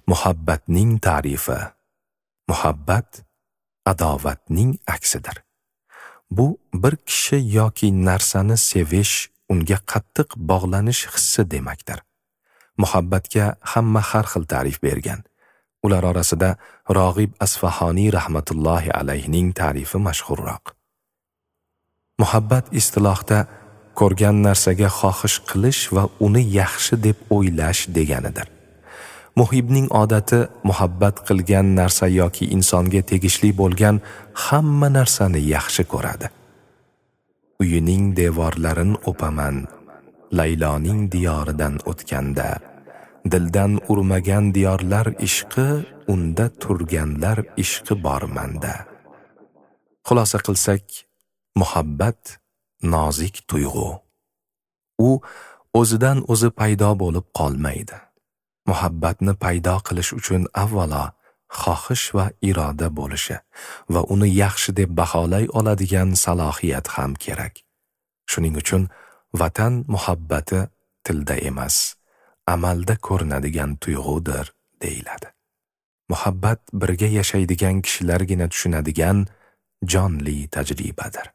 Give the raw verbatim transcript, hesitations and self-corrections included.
Muhabbatning ta'rifi. Muhabbat adovatning aksidir. Bu bir kishi yoki narsani sevish, unga qattiq bog'lanish hissi demakdir. Muhabbatga hamma har xil ta'rif bergan. Ular orasida Rog'ib Asfahoniy rahmatullohi alayhining ta'rifi mashhurroq. Muhabbat istilohda ko'rgan narsaga xohish qilish va uni yaxshi deb o'ylash deganidir. Muhibning odati muhabbat qilgan narsa yoki insonga tegishli bo'lgan hamma narsani yaxshi ko'radi. Uyining devorlarini o'paman, Layloning diyoridan o'tganda, dildan urmagan diyorlar ishqi, unda turganlar ishqi bor menda. Xulosa qilsak, muhabbat nozik tuyg'u. U o'zidan o'zi paydo bo'lib qolmaydi. Muhabbatni paydo qilish uchun avvalo xohish va iroda bo'lishi va uni yaxshi deb baholay oladigan salohiyat ham kerak. Shuning uchun vatan muhabbati tilda emas, amalda ko'rinadigan tuyg'udir deyiladi. Muhabbat birga yashaydigan kishilargina tushunadigan jonli tajribadir.